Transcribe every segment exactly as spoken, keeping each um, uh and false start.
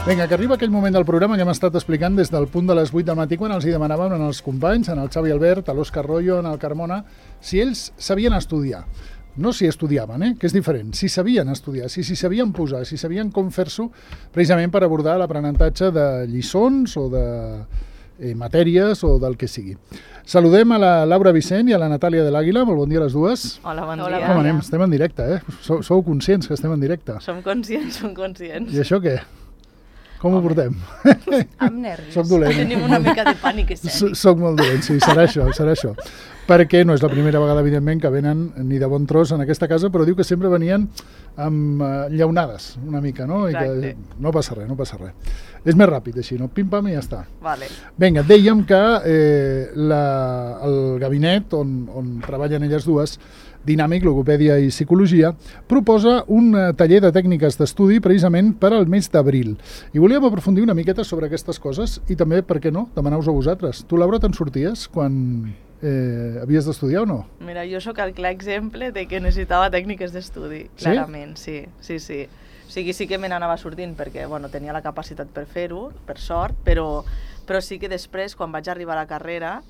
Vinga, que arriba aquell moment del programa que hem estat explicant des del punt de les vuit del matí, quan els hi demanàvem als companys, en el Xavi Albert, a l'Òscar Royo, en el Carmona, si ells sabien estudiar. No si estudiaven, eh? Que és diferent. Si sabien estudiar, si s'hi sabien posar, si sabien com fer-s'ho, precisament per abordar l'aprenentatge de lliçons o de eh, matèries o del que sigui. Saludem a la Laura Vicent i a la Natàlia de l'Àguila. Molt bon dia a les dues. Hola, bon Hola, dia. Com anem? Estem en directe, eh? Sou, sou conscients que estem en directe? Som conscients, som conscients. I això què? Com ho portem? Amb nervis. Soc dolent. Tenim una mica de pànic escènic. Soc molt dolent, sí, serà això, serà això. Perquè no és la primera vegada, evidentment, que venen ni de bon tros en aquesta casa, però diu que sempre venien amb uh, llaunades, una mica, no? Exacte. I que no passa res, no passa res. És més ràpid, així, no? Pim-pam i ja està. Vale. Vinga, dèiem que eh, la, el gabinet on, on treballen elles dues, Dinàmic, Logopèdia i Psicologia, proposa un taller de tècniques d'estudi precisament per al mes d'abril. I volíem aprofundir una miqueta sobre aquestes coses i també, per què no, demanar-vos a vosaltres. Tu, Laura, te'n sorties quan eh, havies d'estudiar o no? Mira, jo sóc el clar exemple de que necessitava tècniques d'estudi, clarament, sí, sí, sí. O sigui, sí que me n'anava sortint perquè, bueno, tenia la capacitat per fer-ho, per sort, però, però sí que després, quan vaig arribar a la carrera,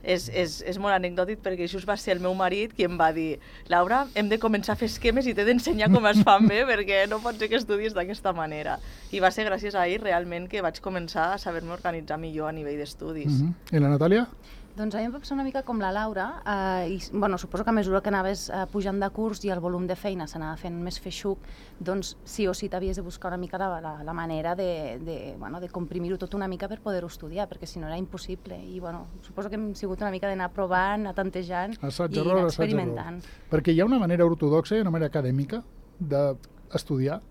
És, és, és molt anecdòtic perquè just va ser el meu marit qui em va dir: Laura, hem de començar a fer esquemes i t'he d'ensenyar com es fan bé perquè no pot ser que estudies d'aquesta manera. I va ser gràcies a ell realment que vaig començar a saber-me organitzar millor a nivell d'estudis. Uh-huh. I la Natàlia? Doncs a mi em va passar una mica com la Laura, eh, i bueno, suposo que a mesura que anaves eh, pujant de curs i el volum de feina s'anava fent més feixuc, doncs sí o sí t'havies de buscar una mica la, la, la manera de, de, bueno, de comprimir-ho tot una mica per poder-ho estudiar, perquè si no era impossible. I bueno, suposo que hem sigut una mica d'anar provant, anar tantejant assaig, i error, anar assaig, experimentant. Error. Perquè hi ha una manera ortodoxa i una manera acadèmica d'estudiar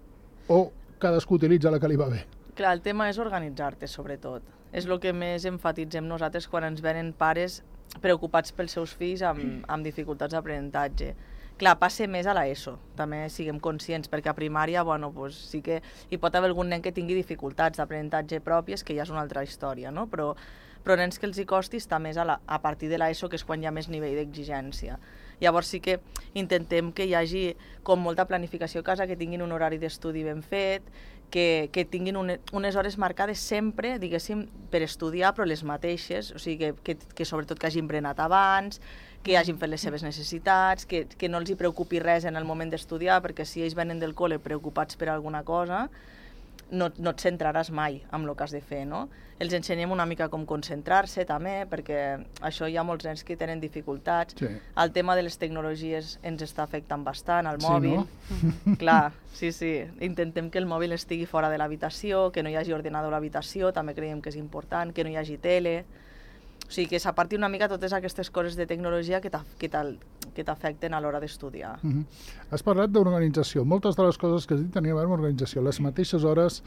o cadascú utilitza la que li va bé? Clar, el tema és organitzar-te, sobretot. És el que més enfatitzem nosaltres quan ens venen pares preocupats pels seus fills amb, amb dificultats d'aprenentatge. Clar, passa més a l'ESO, també siguem conscients, perquè a primària, bueno, pues, sí que hi pot haver algun nen que tingui dificultats d'aprenentatge pròpies, que ja és una altra història, no? Però, però nens que els hi costi està més a, la, a partir de l'ESO, que és quan hi ha més nivell d'exigència. Llavors sí que intentem que hi hagi com molta planificació a casa, que tinguin un horari d'estudi ben fet, que, que tinguin une, unes hores marcades sempre, diguéssim, per estudiar, però les mateixes, o sigui, que, que, que sobretot que hagin berenat abans, que hagin fet les seves necessitats, que, que no els hi preocupi res en el moment d'estudiar, perquè si ells venen del col·le preocupats per alguna cosa, no, no et centraràs mai amb el que has de fer, no? Els ensenyem una mica com concentrar-se també, perquè això hi ha molts nens que tenen dificultats. Sí. El tema de les tecnologies ens està afectant bastant, el Sí, mòbil. no? Clar, sí, sí. Intentem que el mòbil estigui fora de l'habitació, que no hi hagi ordenador a l'habitació, també creiem que és important, que no hi hagi tele. O sigui, que s'aparti una mica totes aquestes coses de tecnologia que t'afecten a l'hora d'estudiar. Uh-huh. Has parlat d'organització. Moltes de les coses que has dit tenien a veure amb organització. Les mateixes hores,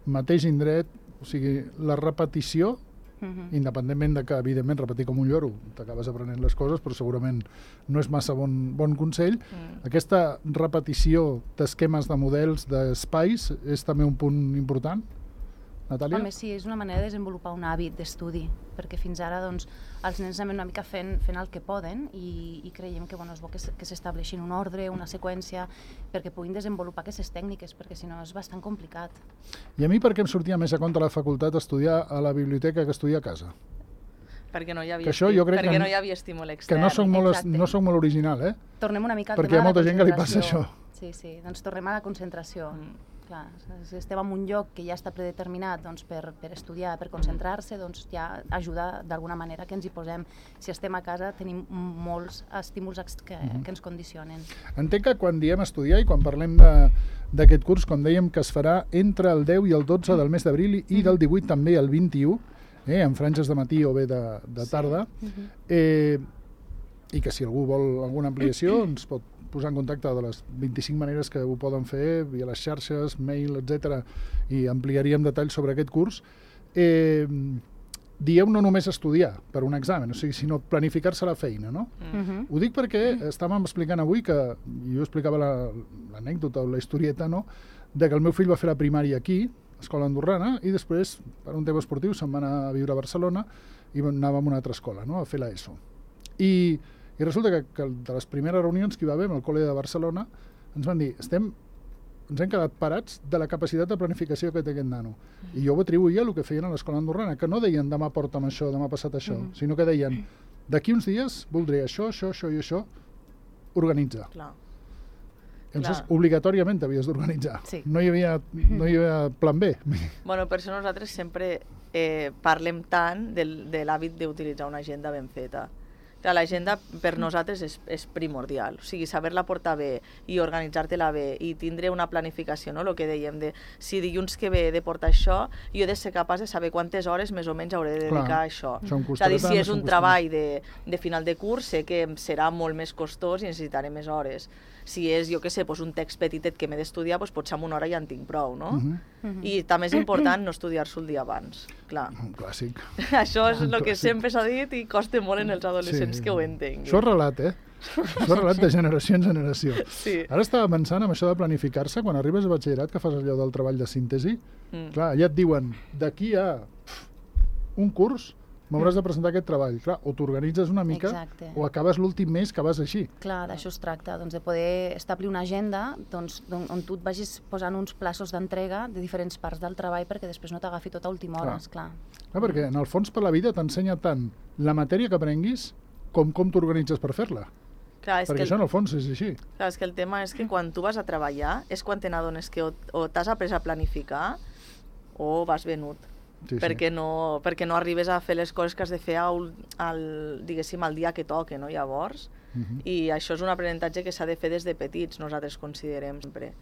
mateix indret, o sigui, la repetició, uh-huh. independentment de que, evidentment, repetir com un lloro, t'acabes aprenent les coses, però segurament no és massa bon, bon consell. Mm. Aquesta repetició d'esquemes, de models, d'espais, és també un punt important? Natàlia? Home, sí, és una manera de desenvolupar un hàbit d'estudi, perquè fins ara doncs, els nens anem una mica fent, fent el que poden i, i creiem que, bueno, és bo que s'estableixin un ordre, una seqüència, perquè puguin desenvolupar aquestes tècniques, perquè si no és bastant complicat. I a mi per què em sortia més a compte a la facultat estudiar a la biblioteca que estudiar a casa? Perquè no hi havia, això jo crec perquè que, no hi havia estímul extern. Que no soc molt, no soc molt original, eh? Tornem una mica al perquè tema hi ha molta de la gent que li passa això. Sí, sí, doncs tornem a la concentració. Mm. Clar, si estem en un lloc que ja està predeterminat doncs, per, per estudiar, per concentrar-se, doncs ja ajuda d'alguna manera que ens hi posem. Si estem a casa tenim molts estímuls que, mm-hmm. que ens condicionen. Entenc que quan diem estudiar i quan parlem d'aquest curs, com dèiem que es farà entre el deu i el dotze del mes d'abril i mm-hmm. del divuit també el vint-i-u, eh, en franges de matí o bé de, de tarda, sí. mm-hmm. eh, i que si algú vol alguna ampliació ens pot posar en contacte de les vint-i-cinc maneres que ho poden fer, via les xarxes, mail, etcètera, i ampliaríem detalls sobre aquest curs. Eh, dieu no només estudiar per un examen, o sigui, sinó planificar-se la feina, no? Mm-hmm. Ho dic perquè estàvem explicant avui que, jo explicava l'anècdota o la historieta, no?, de que el meu fill va fer la primària aquí, escola andorrana, i després, per un tema esportiu, se'n va anar a viure a Barcelona i anava a una altra escola, no?, a fer l'ESO. I I resulta que, que de les primeres reunions que hi va haver amb el col·le de Barcelona ens van dir, estem ens hem quedat parats de la capacitat de planificació que té aquest nano. I jo ho atribuïa al que feien a l'escola andorrana, que no deien demà porta'm això, demà passat això, mm -hmm. sinó que deien d'aquí uns dies voldré això, això, això i això, organitza. Clar. Llavors, obligatòriament t'havies d'organitzar. Sí. No hi havia, no hi havia plan B. Bueno, per això nosaltres sempre eh, parlem tant del, de l'hàbit d'utilitzar una agenda ben feta. Clar, l'agenda per nosaltres és, és primordial, o sigui, saber-la portar bé i organitzar-te-la bé i tindre una planificació, no? El que dèiem de si dilluns que ve he de portar això, jo he de ser capaç de saber quantes hores més o menys hauré de dedicar Clar, a això. això em És a dir, costarà si tant, és això em un costarà. treball de, de final de curs, sé que em serà molt més costós i necessitaré més hores. Si és, jo què sé, doncs un text petitet que m'he d'estudiar, doncs potser amb una hora ja en tinc prou, no? Uh -huh. Uh-huh. I també és important no estudiar-s'ho el dia abans, clar. Un clàssic. Això és Un el que clàssic. sempre s'ha dit i costa molt en els adolescents Sí. que ho entenguin. Això és relat, eh? Això és relat de generació en generació. Sí. Ara estava pensant en això de planificar-se, quan arribes a batxillerat, que fas allò del treball de síntesi, Mm. clar, ja et diuen, d'aquí a pf, un curs m'hauràs de presentar aquest treball. Clar, o t'organitzes una mica, Exacte. o acabes l'últim mes que vas així. Clar, d'això es tracta, doncs, de poder establir una agenda doncs, on, on tu et vagis posant uns plaços d'entrega de diferents parts del treball perquè després no t'agafi tot a última hora, Clar. esclar. Clar, perquè en el fons per la vida t'ensenya tant la matèria que aprenguis com com t'organitzes per fer-la. Clar, és Perquè que això en el fons és així. Clar, és que el tema és que quan tu vas a treballar és quan te n'adones que o, o t'has après a planificar o vas venut. Sí, sí. perquè, no, perquè no arribes a fer les coses que has de fer al, al, diguéssim, al dia que toque, no? Llavors, Uh -huh. i això és un aprenentatge que s'ha de fer des de petits, nosaltres considerem sempre.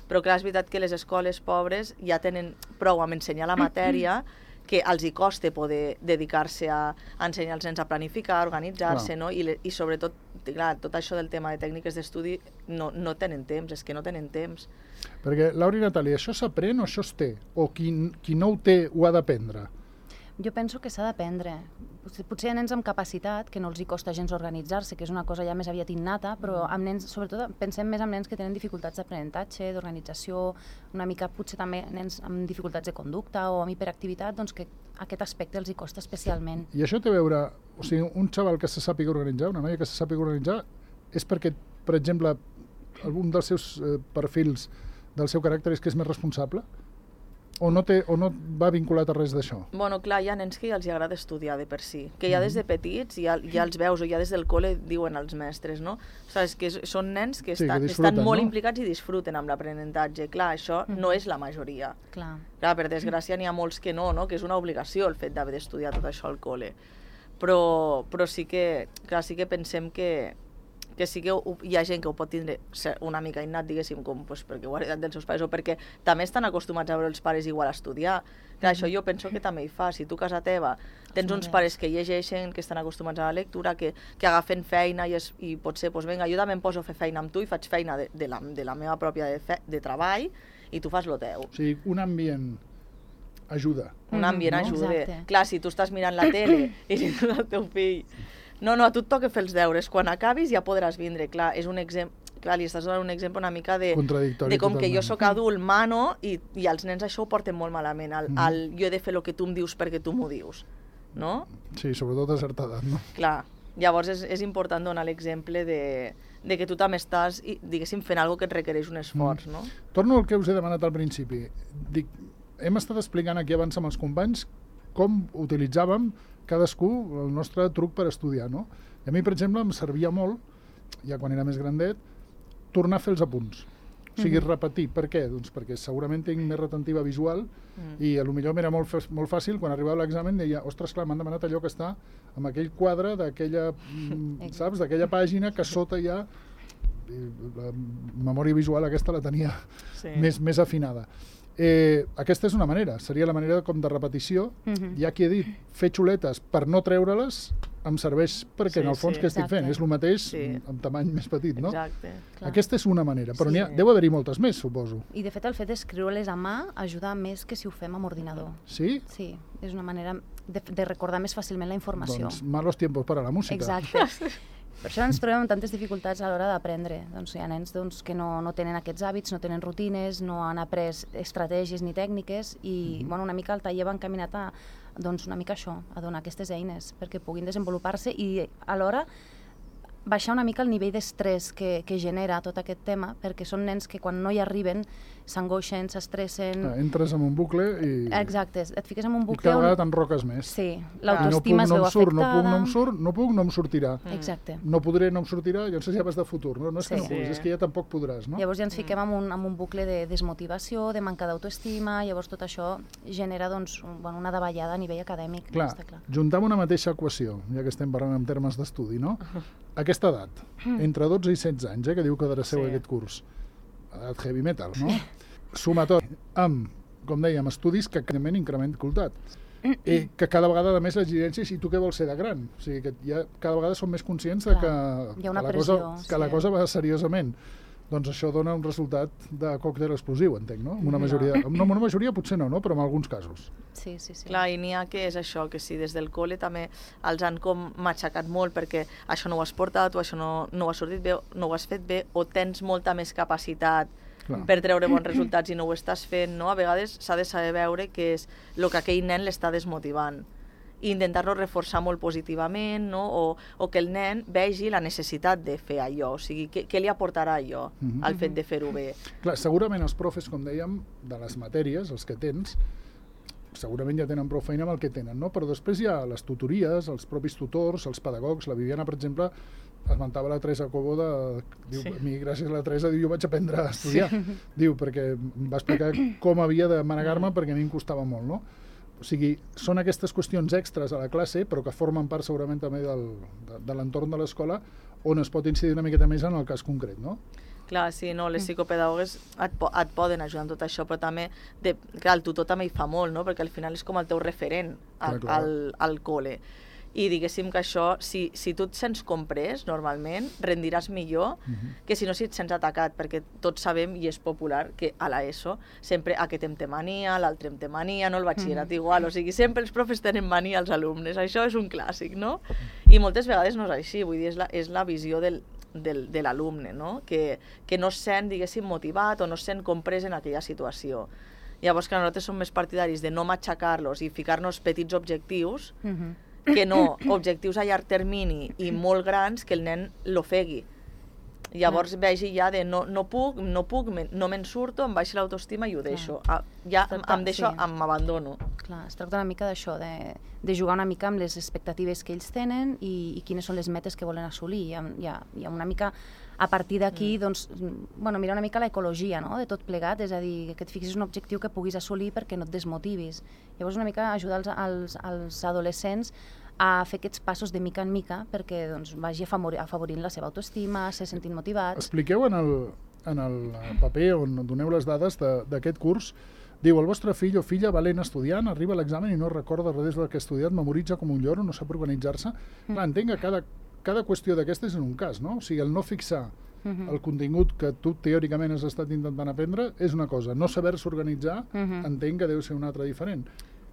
Però clar, és veritat que les escoles pobres ja tenen prou amb ensenyar la matèria que els hi costa poder dedicar-se a, a ensenyar als nens a planificar, a organitzar-se, no? I, le, i sobretot, clar, tot això del tema de tècniques d'estudi no, no tenen temps, és que no tenen temps. Perquè, Laura i Natàlia, això s'aprèn o això es té? O qui, qui no ho té ho ha d'aprendre? Jo penso que s'ha d'aprendre. Potser, potser hi ha nens amb capacitat, que no els hi costa gens organitzar-se, que és una cosa ja més aviat innata, però amb nens, sobretot pensem més en nens que tenen dificultats d'aprenentatge, d'organització, una mica potser també nens amb dificultats de conducta o amb hiperactivitat, doncs que aquest aspecte els hi costa especialment. I això té a veure, o sigui, un xaval que se sàpiga organitzar, una noia que se sàpiga organitzar, és perquè, per exemple, algun dels seus eh, perfils del seu caràcter és que és més responsable? O no, té, o no va vinculat a res d'això? Bueno, clar, hi ha nens que ja els hi agrada estudiar de per si, que ja des de petits ja, ja els veus, o ja des del col·le diuen als mestres, no? O sigui, és que són nens que, Sí, estan, que estan disfruten, molt no? implicats i disfruten amb l'aprenentatge. Clar, això no és la majoria. Clar. Clar, per desgràcia n'hi ha molts que no, no? Que és una obligació el fet d'haver d'estudiar tot això al col·le. Però, però sí que, clar, sí que pensem que, que sí que ho, hi ha gent que ho pot tindre una mica innat, diguéssim, com, pues, perquè ho ha heredat dels seus pares o perquè també estan acostumats a veure els pares igual a estudiar. Clar, això jo penso que també hi fa. Si tu a casa teva tens uns pares que llegeixen, que estan acostumats a la lectura, que, que agafen feina i, es, i potser, pues, vinga, jo també em poso a fer feina amb tu i faig feina de, de, la, de la meva pròpia de, fe, de treball i tu fas lo teu. O sigui, un ambient ajuda. Un ambient no? ajuda. Exacte. Clar, si tu estàs mirant la tele i si tu el teu fill... No, no, a tu et toca fer els deures. Quan acabis ja podràs vindre. Clar, és un exemple... Clar, li estàs donant un exemple una mica de, Contradictori de com totalment. que jo sóc adult, mano, i, i els nens això ho porten molt malament. El, Mhm. el, jo he de fer el que tu em dius perquè tu m'ho dius. No? Sí, sobretot a certa edat, no? Clar. Llavors és, és important donar l'exemple de, de que tu també estàs, i, diguéssim, fent alguna que et requereix un esforç, no? Torno al que us he demanat al principi. Dic, hem estat explicant aquí abans amb els companys com utilitzàvem cadascú el nostre truc per estudiar, no? I a mi, per exemple, em servia molt, ja quan era més grandet, tornar a fer els apunts. O sigui, Mhm. repetir. Per què? Doncs perquè segurament tinc més retentiva visual Mm. i a lo millor m'era molt, fa- molt fàcil quan arribava l'examen deia, ostres, clar, m'han demanat allò que està amb aquell quadre d'aquella, mm, saps, d'aquella pàgina que sota ja i la memòria visual aquesta la tenia Sí. més, més afinada. Eh, aquesta és una manera, seria la manera com de repetició. Mhm. Ja que he dit, fer xuletes per no treure-les em serveix perquè Sí, en el fons sí. què estic fent? Exacte. És el mateix Sí. amb tamany més petit, no? Exacte. Clar. Aquesta és una manera, però Sí. n'hi ha, deu haver-hi moltes més, suposo. I de fet el fet d'escriure-les a mà ajuda més que si ho fem amb ordinador. Sí? Sí, és una manera de, de recordar més fàcilment la informació. Doncs malos tiempos para la música. Exacte. Per això ens trobem amb tantes dificultats a l'hora d'aprendre. Doncs hi ha nens doncs, que no, no tenen aquests hàbits, no tenen rutines, no han après estratègies ni tècniques i bueno, una mica el taller va encaminat a doncs, una mica això, a donar aquestes eines perquè puguin desenvolupar-se i alhora baixar una mica el nivell d'estrès que, que genera tot aquest tema, perquè són nens que quan no hi arriben s'angoixen, s'estressen... Ah, entres en un bucle i... Exacte, et fiques en un bucle... I cada vegada t'enroques més. Sí, l'autoestima es veu afectada... No puc, no em surt, no puc, no em sortirà. Exacte. No podré, no em sortirà, llavors ja vas de futur. No, no és que Sí. no puguis, és que ja tampoc podràs, no? Llavors ja ens fiquem en un, en un bucle de desmotivació, de manca d'autoestima, llavors tot això genera doncs, un, bueno, una davallada a nivell acadèmic. Clar, està clar. juntar una mateixa equació, ja que estem parlant en termes d'estudi, no? Aquesta edat, entre dotze i setze anys, eh, que diu que adreceu Sí. aquest curs, edat heavy metal, no? Suma tot amb, com dèiem, estudis que evidentment increment dificultat. I que cada vegada de més l'exigència i tu què vols ser de gran. O sigui, que ja cada vegada som més conscients de que, Hi ha una que, la, pressió, cosa, que sí. la cosa va seriosament. Doncs això dona un resultat de còctel explosiu, entenc, no? Amb una majoria, no, amb una majoria potser no, no? Però en alguns casos. Sí, sí, sí. Clar, i n'hi ha que és això, que si des del col·le també els han com matxacat molt perquè això no ho has portat o això no, no ho has sortit bé, no ho has fet bé, o tens molta més capacitat Clar. per treure bons resultats i no ho estàs fent, no? A vegades s'ha de saber veure que és el que aquell nen l'està desmotivant i intentar-lo reforçar molt positivament, no? o, o que el nen vegi la necessitat de fer allò, o sigui, què, què li aportarà allò, Mhm. al fet de fer-ho bé. Clar, segurament els profes, com dèiem, de les matèries, els que tens, segurament ja tenen prou feina amb el que tenen, no? Però després hi ha les tutories, els propis tutors, els pedagogs. La Viviana, per exemple, esmentava la Teresa Cobo de... Diu, Sí. a mi, gràcies a la Teresa, diu, jo vaig aprendre a estudiar. Sí. Diu, perquè em va explicar com havia de manegar-me perquè a mi em costava molt, no? O sigui, són aquestes qüestions extres a la classe, però que formen part segurament també del, de, de l'entorn de l'escola, on es pot incidir una miqueta més en el cas concret, no? Clar, sí, no, les psicopedagogues et, po et poden ajudar en tot això, però també, de, clar, el tutor també hi fa molt, no? Perquè al final és com el teu referent al, Clar, clar. al, al col·le. I diguéssim que això, si, si tu et sents comprès, normalment, rendiràs millor Mhm. que si no si et sents atacat, perquè tots sabem, i és popular, que a l'ESO sempre aquest em té mania, l'altre em té mania, no el batxillerat igual, o sigui, sempre els profes tenen mania als alumnes, això és un clàssic, no? I moltes vegades no és així, vull dir, és la, és la visió del, del, de l'alumne, no? Que, que no es sent, diguéssim, motivat o no es sent comprès en aquella situació. Llavors, que nosaltres som més partidaris de no matxacar-los i ficar-nos petits objectius, Mhm. que no objectius a llarg termini i molt grans que el nen l'ofegui. Llavors vegi ja de no, no puc, no puc, me, no me'n surto, em baixa l'autoestima i ho deixo. Ah, ja em, em deixo, Sí. m'abandono. Clar, es tracta una mica d'això, de, de jugar una mica amb les expectatives que ells tenen i, i quines són les metes que volen assolir. Hi ha, hi ha, hi ha una mica, a partir d'aquí, mm. doncs, bueno, mirar una mica l'ecologia, no?, de tot plegat, és a dir, que et fixis un objectiu que puguis assolir perquè no et desmotivis. Llavors, una mica ajudar els, els, els adolescents a fer aquests passos de mica en mica perquè doncs, vagi afavorir, afavorint la seva autoestima, se sentin motivats. Expliqueu en el, en el paper on doneu les dades d'aquest curs. Diu, el vostre fill o filla valent estudiant arriba a l'examen i no recorda res del que ha estudiat, memoritza com un lloro, no sap organitzar-se. Mm. Clar, entenc que cada, cada qüestió d'aquestes és un cas, no? O sigui, el no fixar Mhm. el contingut que tu teòricament has estat intentant aprendre és una cosa. No saber-se organitzar, Mhm. entenc que deu ser una altra diferent.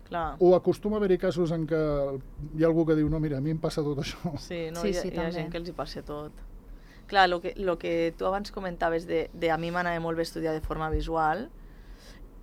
Clar. O acostuma a haver-hi casos en què hi ha algú que diu, no, mira, a mi em passa tot això. Sí, no, Sí, hi, ha, sí, hi ha també. gent que els hi passa tot. Clar, el que, lo que tu abans comentaves de, de a mi m'anava molt bé estudiar de forma visual,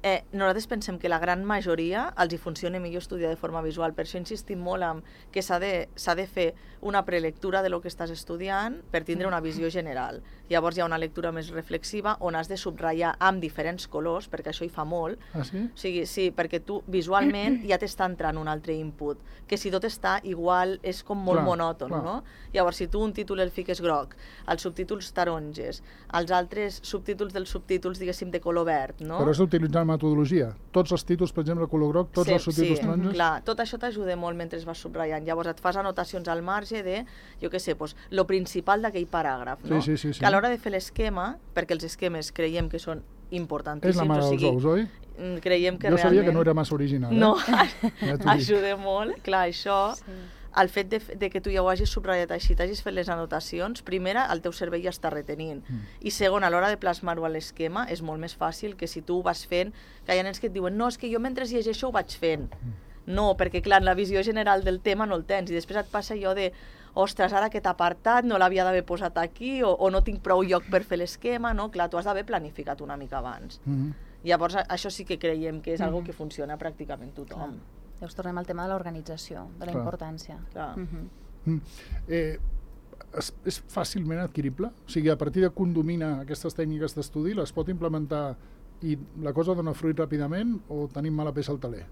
eh, nosaltres pensem que la gran majoria els hi funciona millor estudiar de forma visual. Per això insistim molt en que s'ha de, s'ha de fer una prelectura de lo que estàs estudiant per tindre una visió general. Llavors hi ha una lectura més reflexiva on has de subratllar amb diferents colors, perquè això hi fa molt. Ah, sí? O sigui, sí, perquè tu visualment ja t'està entrant un altre input, que si tot està igual és com molt Clar, monòton, clar. no? Llavors, si tu un títol el fiques groc, els subtítols taronges, els altres subtítols dels subtítols, diguéssim, de color verd, no? Però has d'utilitzar metodologia. Tots els títols, per exemple, color groc, tots Sí, els subtítols sí, taronges? clar, tot això t'ajuda molt mentre vas subratllant. Llavors et fas anotacions al marge de, jo què sé, pues, lo principal d'aquell paràgraf, no? Sí, sí, sí, sí. Que a l'hora de fer l'esquema, perquè els esquemes creiem que són És importantíssims, la mare o dels sigui, ous, oi? mm, creiem que Jo realment... sabia que no era massa original, eh? No, Ja t'ho dic. ajuda molt. Clar, això, Sí. el fet de, de que tu ja ho hagis subratllat així, t'hagis fet les anotacions, primera, el teu cervell ja està retenint. Mm. I segon, a l'hora de plasmar-ho a l'esquema, és molt més fàcil que si tu ho vas fent, que hi ha nens que et diuen, no, és que jo mentre llegeixo ho vaig fent. Mm. No, perquè clar, la visió general del tema no el tens, i després et passa allò de, ostres, ara aquest apartat no l'havia d'haver posat aquí, o, o no tinc prou lloc per fer l'esquema, no? Clar, tu has d'haver planificat una mica abans. Mhm. Llavors, a- això sí que creiem que és Mhm. algo que funciona pràcticament tothom. Llavors tornem al tema de l'organització, de la Clar. importància. Clar. Mhm. Mm. Eh, és, és fàcilment adquirible? O sigui, a partir de que un domina aquestes tècniques d'estudi, les pot implementar i la cosa dona fruit ràpidament o tenim mala peça al taler?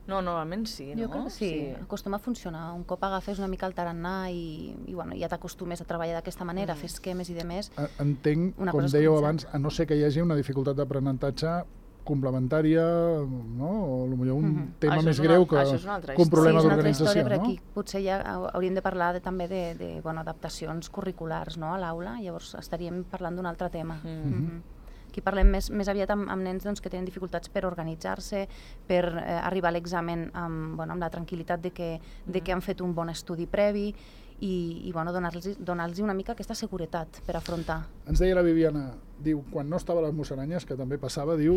No, normalment sí, no? Jo crec que sí, sí. Acostuma a funcionar. Un cop agafes una mica el tarannà i, i bueno, ja t'acostumes a treballar d'aquesta manera, mm. fer esquemes i demés. Entenc, com dèieu abans, a no ser que hi hagi una dificultat d'aprenentatge complementària, no? O potser un mm-hmm. tema això més greu que, que un problema sí, d'organització, no? Aquí potser ja hauríem de parlar de, també de, de bueno, adaptacions curriculars, no? A l'aula, llavors estaríem parlant d'un altre tema. Mm-hmm. Mm-hmm. Aquí parlem més, més aviat amb, amb nens doncs, que tenen dificultats per organitzar-se, per eh, arribar a l'examen amb, bueno, amb la tranquil·litat de que, de que han fet un bon estudi previ i, i bueno, donar-los donar una mica aquesta seguretat per afrontar. Ens deia la Viviana, diu, quan no estava a les Musaranyes, que també passava, diu,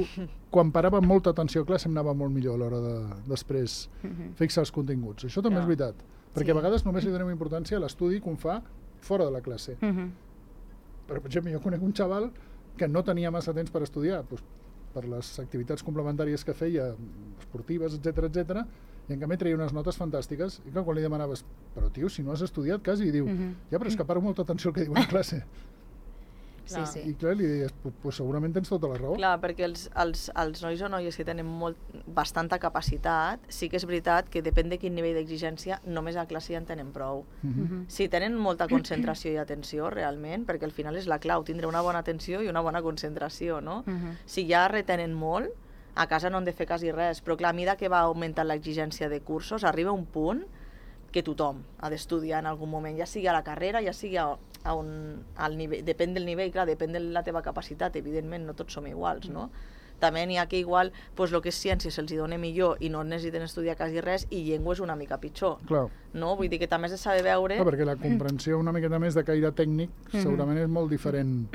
quan parava molta atenció a classe em anava molt millor a l'hora de després mm-hmm. fixar els continguts. Això també yeah. és veritat, perquè sí. a vegades només li donem importància a l'estudi que un fa fora de la classe. Mm-hmm. Per exemple, jo conec un xaval que no tenia massa temps per estudiar, doncs, per les activitats complementàries que feia, esportives, etcètera, etcètera, i en canvi treia unes notes fantàstiques, i quan li demanaves, però tio, si no has estudiat quasi, i diu, mm-hmm. ja, però és que paro molta atenció al que diuen a classe. Sí, sí. I clar, li deies, pues segurament tens tota la raó. Clar, perquè els, els, els nois o noies que tenen molt, bastanta capacitat, sí que és veritat que depèn de quin nivell d'exigència, només a classe ja en tenen prou. Mm-hmm. Si tenen molta concentració i atenció, realment, perquè al final és la clau, tindre una bona atenció i una bona concentració, no? Mm-hmm. Si ja retenen molt, a casa no han de fer quasi res, però clar, a mesura que va augmentant l'exigència de cursos, arriba un punt que tothom ha d'estudiar en algun moment, ja sigui a la carrera, ja sigui a, a un, al nivell, depèn del nivell, clar, depèn de la teva capacitat, evidentment no tots som iguals, no? També n'hi ha que igual, pues, el que és ciència se'ls dona millor i no necessiten estudiar quasi res i llengua és una mica pitjor. Clar. No? Vull dir que també has de saber veure... Clar, perquè la comprensió una miqueta més de caire tècnic segurament és molt diferent,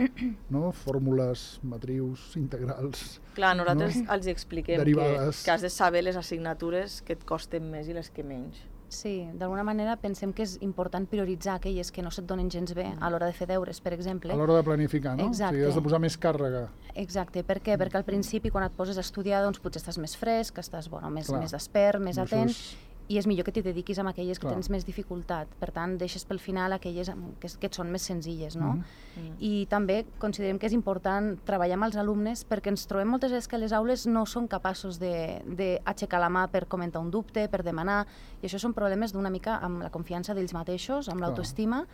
no? Fórmules, matrius, integrals... Clar, nosaltres no? els expliquem Derivades. que, que has de saber les assignatures que et costen més i les que menys. Sí, d'alguna manera pensem que és important prioritzar aquelles que no se't donen gens bé a l'hora de fer deures, per exemple. A l'hora de planificar, no? Exacte. O sigui, has de posar més càrrega. Exacte, per què? Perquè al principi quan et poses a estudiar doncs potser estàs més fresc, estàs bueno, més, Clar. més despert, més Això atent, és... i és millor que t'hi dediquis a aquelles que Clar. tens més dificultat. Per tant, deixes pel final aquelles que, que et són més senzilles, no? Mm-hmm. I també considerem que és important treballar amb els alumnes perquè ens trobem moltes vegades que les aules no són capaços d'aixecar la mà per comentar un dubte, per demanar, i això són problemes d'una mica amb la confiança d'ells mateixos, amb l'autoestima,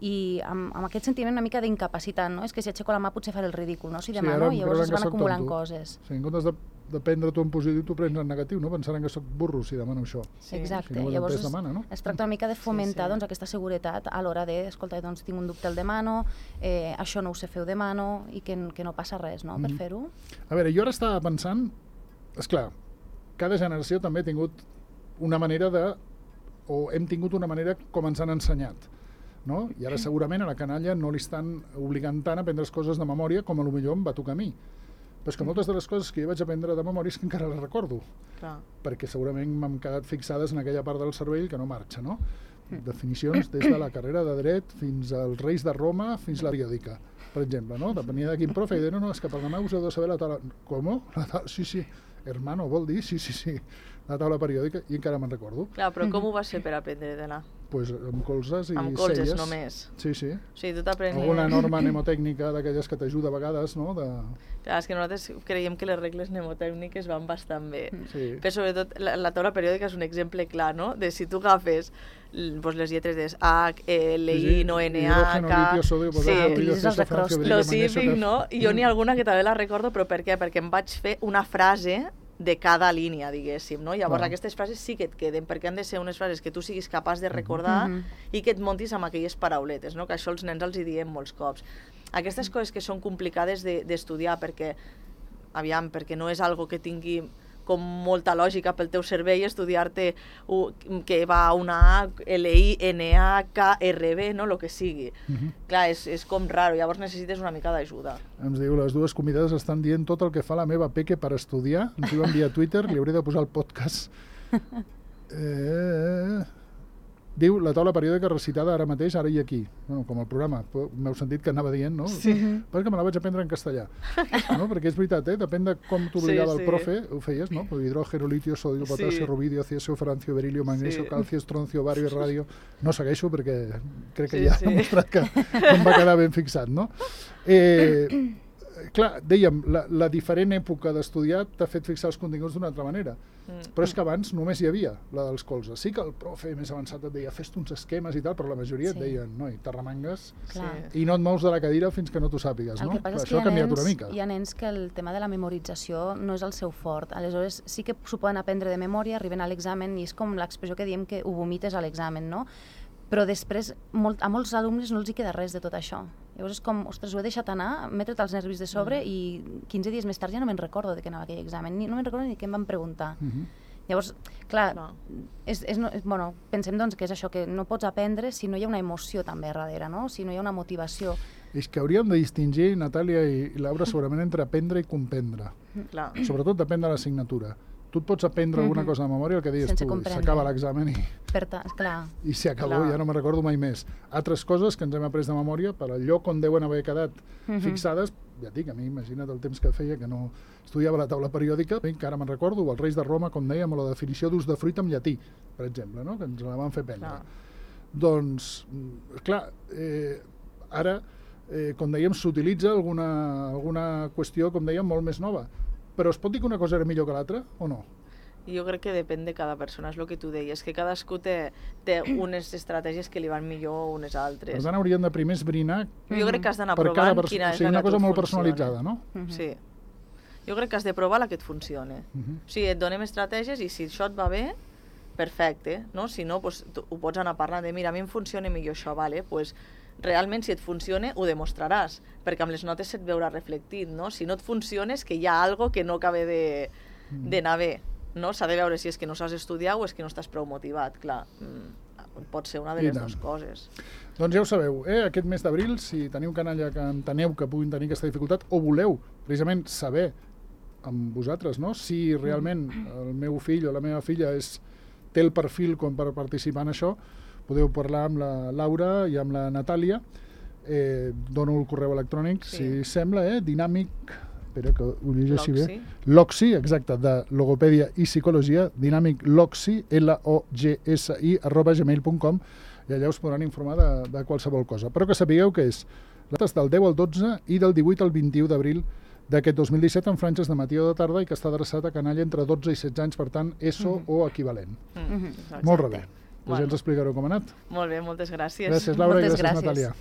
i amb, amb aquest sentiment una mica d'incapacitat, no? És que si aixeco la mà potser faré el ridícul, no? Si demano, sí, llavors es van acumulant tonto. coses. Sí, en comptes de, de prendre tu en positiu, tu prens en negatiu, no? Pensaran que sóc burro si demano això. Sí. Exacte, si no llavors es, demana, no? es tracta una mica de fomentar sí, sí. Doncs, aquesta seguretat a l'hora de, escolta, doncs tinc un dubte, el demano, eh, això no ho sé fer, ho demano, i que, que no passa res, no?, mm. per fer-ho. A veure, jo ara estava pensant, esclar, cada generació també ha tingut una manera de, o hem tingut una manera com ens han ensenyat, no? I ara segurament a la canalla no li estan obligant tant a aprendre coses de memòria com a lo millor em va tocar a mi. Però és que moltes de les coses que jo vaig aprendre de memòria és que encara les recordo. Clar. Perquè segurament m'han quedat fixades en aquella part del cervell que no marxa, no? Definicions des de la carrera de dret fins als reis de Roma fins a la periòdica, per exemple, no? Depenia de quin profe i deia, no, no, és que per demà us heu de saber la taula... Com? La taula... Sí, sí, hermano, vol dir? Sí, sí, sí, la taula periòdica, i encara me'n recordo. Clar, però com ho vas fer per aprendre de la? Pues amb colzes i amb colzes celles. Només? Sí, sí. O sigui, tu t'aprenies... Alguna norma mnemotècnica d'aquelles que t'ajuda a vegades, no? De... Clar, és que nosaltres creiem que les regles mnemotècniques van bastant bé. Sí. Però sobretot la, la taula periòdica és un exemple clar, no? De si tu agafes pues, les lletres de H, L, I, no, N, A, K... Sí, lo típic, no? I jo n'hi ha alguna que també la recordo, però per què? Perquè em vaig fer una frase de cada línia, diguéssim, no? Llavors, wow. Aquestes frases sí que et queden, perquè han de ser unes frases que tu siguis capaç de recordar mm-hmm. i que et montis amb aquelles parauletes, no? Que això els nens els hi diem molts cops. Aquestes coses que són complicades d'estudiar, de, perquè, aviam, perquè no és algo que tingui com molta lògica pel teu cervell estudiar-te que va una A, L, I, N, A, K, R, B, no? El que sigui. Uh-huh. Clar, és, és com raro, llavors necessites una mica d'ajuda. Ens diu, les dues convidades estan dient tot el que fa la meva peque per estudiar. Ens diuen via Twitter, li hauré de posar el podcast. Eh... diu la taula periòdica recitada ara mateix, ara i aquí. Bueno, com el programa. M'heu sentit que anava dient, no? Sí. Perquè me la vaig aprendre en castellà. No? Perquè és veritat, eh? Depèn de com t'obligava Sí, sí. el profe, ho feies, no? Hidrògeno, litio, sodio, potasio, Sí. rubidio, ciesio, francio, berilio, magnesio, Sí. calcio, estroncio, bario i radio. No segueixo perquè crec que Sí, ja sí. he demostrat que em va quedar ben fixat, no? Eh, clar, dèiem, la, la diferent època d'estudiar t'ha fet fixar els continguts d'una altra manera. Mm. Però és que abans només hi havia la dels colzes. Sí que el profe més avançat et deia fes-te uns esquemes i tal, però la majoria Sí. et deien noi, t'arremangues Clar. Sí. i no et mous de la cadira fins que no t'ho sàpigues, El no? que passa Clar, és que això hi ha ha, canviat nens, una mica. hi ha nens que el tema de la memorització no és el seu fort. Aleshores, sí que s'ho poden aprendre de memòria, arriben a l'examen i és com l'expressió que diem que ho vomites a l'examen, no? Però després molt, a molts alumnes no els hi queda res de tot això. Llavors és com, ostres, ho he deixat anar, m'he tret els nervis de sobre Mm. i quinze dies més tard ja no me'n recordo de què anava aquell examen, ni, no me'n recordo ni què em van preguntar. Uh -huh. Llavors, clar, Clar. és, és, no, és, bueno, pensem doncs, que és això, que no pots aprendre si no hi ha una emoció també darrere, no? Si no hi ha una motivació. És que hauríem de distingir, Natàlia i, i Laura, segurament entre aprendre i comprendre. Clar. Sobretot depèn de l'assignatura. Tu et pots aprendre alguna Mhm. cosa de memòria, el que deies Sense tu, comprendre. s'acaba l'examen i, Per ta, clar, i s'hi acabó, Clar. ja no me'n recordo mai més. Altres coses que ens hem après de memòria, per al lloc on deuen haver quedat Mhm. fixades, ja et dic, a mi imagina't el temps que feia que no estudiava la taula periòdica, bé, que ara me'n recordo, o els Reis de Roma, com dèiem, o la definició d'ús de fruita en llatí, per exemple, no? Que ens la van fer prendre. Clar. Doncs, mm, clar, eh, ara, eh, com dèiem, s'utilitza alguna, alguna qüestió, com dèiem, molt més nova. Però es pot dir que una cosa era millor que l'altra, o no? Jo crec que depèn de cada persona, és el que tu deies, que cadascú té, té unes estratègies que li van millor o unes altres. Per tant, hauríem de primer esbrinar Jo crec que has d'anar per cada provant persona. quina O és sigui, la una que a cosa tu molt et funciona. personalitzada, no? Mhm. Sí. Jo crec que has de provar la que et funcione. Uh -huh. O sigui, et donem estratègies i si això et va bé, perfecte, no? Si no, doncs, tu, ho pots anar parlant de mira, a mi em funciona millor això, vale? Pues, realment, si et funciona, ho demostraràs, perquè amb les notes se't veurà reflectit, no? Si no et funciona és que hi ha algo que no acaba de, d'anar bé, no? S'ha de veure si és que no saps estudiar o és que no estàs prou motivat, clar. Mm, pot ser una de I les tant. dues coses. Doncs ja ho sabeu, eh? Aquest mes d'abril, si teniu canalla que enteneu que puguin tenir aquesta dificultat, o voleu precisament saber amb vosaltres, no? Si realment el meu fill o la meva filla és, té el perfil com per participar en això, podeu parlar amb la Laura i amb la Natàlia. Eh, dono el correu electrònic, Sí. si sembla, eh? Dinàmic... Espera, que ho llegeixi bé. Loxi. Loxi, exacte, de logopèdia i psicologia, dinàmic Loxi, L O G S I, arroba gmail punt com, i allà us podran informar de, de qualsevol cosa. Però que sapigueu que és les dates del deu al dotze i del divuit al vint-i-u d'abril d'aquest dos mil disset en franges de matí o de tarda i que està adreçat a canalla entre dotze i setze anys, per tant, E S O Mhm. o equivalent. Mm. Mhm. Molt bé. Doncs ja Bueno. ens explicareu com ha anat. Molt bé, moltes gràcies. Gràcies, Laura, Moltes i gràcies, gràcies. Natàlia.